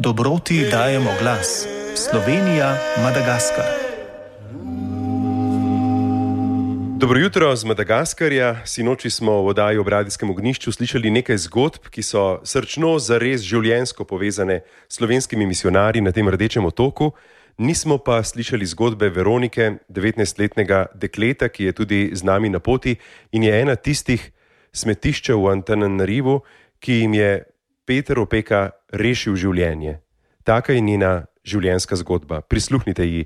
Dobroti dajemo glas. Slovenija, Madagaskar. Dobro jutro z Madagaskarja. Sinoči smo v oddaji Ob radijskem ognjišču slišali nekaj zgodb, ki so srčno zares življenjsko povezane s slovenskimi misijonarji na tem Rdečem otoku. Nismo pa slišali zgodbe Veronike, 19-letnega dekleta, ki je tudi z nami na poti in je ena tistih smetiščev v Antananarivu, ki jim je Peter Opeka rešil življenje. Taka je njena življenjska zgodba. Prisluhnite ji.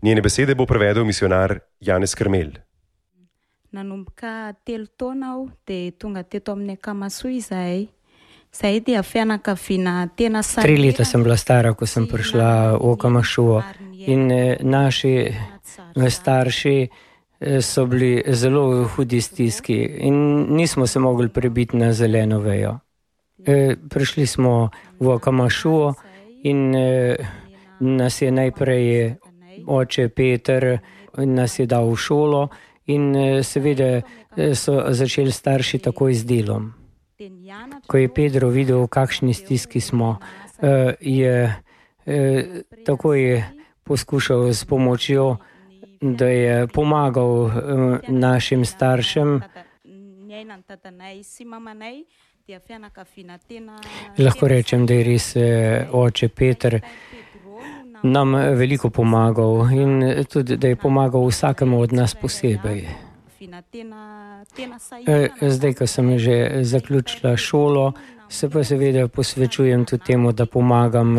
Njene besede bo prevedel misijonar Janez Krmelj. Nanomboka 3 taona dia tonga teto amin'ny Kamasoa izahay. Izahay dia fianakaviana tena sara. 3 leta sem bila stara, ko sem prišla v Kamasoa in naši starši so bili zelo hudi stiski in nismo se mogli prebiti na zeleno vejo. Prišli smo v Kamasoa in nas je najprej oče Peter nas je dal v šolo in seveda so začeli starši takoj z delom. Ko je Pedro videl, v kakšni stiski smo, je takoj poskušal s pomočjo, da je pomagal našim staršem. Lahko rečem, da je res oče Peter nam veliko pomagal in tudi, da je pomagal vsakemu od nas posebej. Zdaj, ko sem že zaključila šolo, se pa seveda posvečujem tudi temu, da pomagam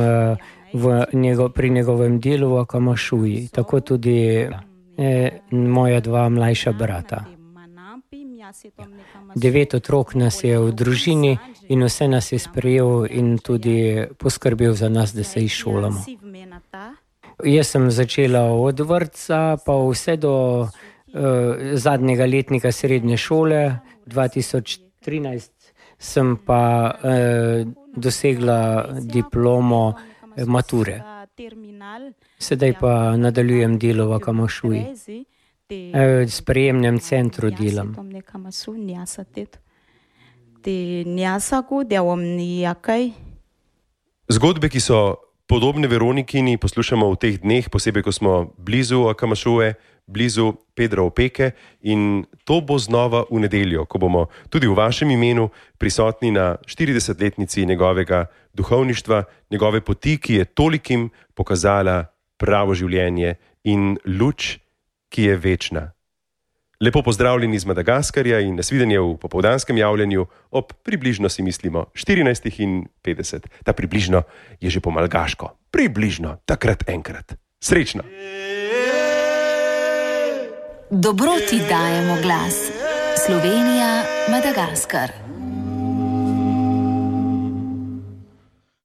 pri njegovem delu v Kamasoji, tako tudi moja 2 mlajša brata. 9 otrok nas je v družini in vse nas je sprejel in tudi poskrbel za nas, da se izšolamo. Jaz sem začela od vrtca pa vse do zadnjega letnika srednje šole. 2013 sem pa dosegla diplomo mature. Sedaj pa nadaljujem delo v Kamasoji. V sprejemnem centru delam. Zgodbe, ki so podobne Veronikini, poslušamo v teh dneh, posebej ko smo blizu Kamasoe, blizu Pedra Opeke, in to bo znova v nedeljo, ko bomo tudi v vašem imenu prisotni na 40-letnici njegovega duhovništva, njegove poti, ki je tolikim pokazala pravo življenje in luč, ki je večna. Lepo pozdravljeni z Madagaskarja in nasvidenje v popoldanskem javljanju ob približno, si mislimo, 14:50. Ta približno je že po malgaško. Približno, takrat enkrat. Srečno! Dobroti dajemo glas. Slovenija, Madagaskar.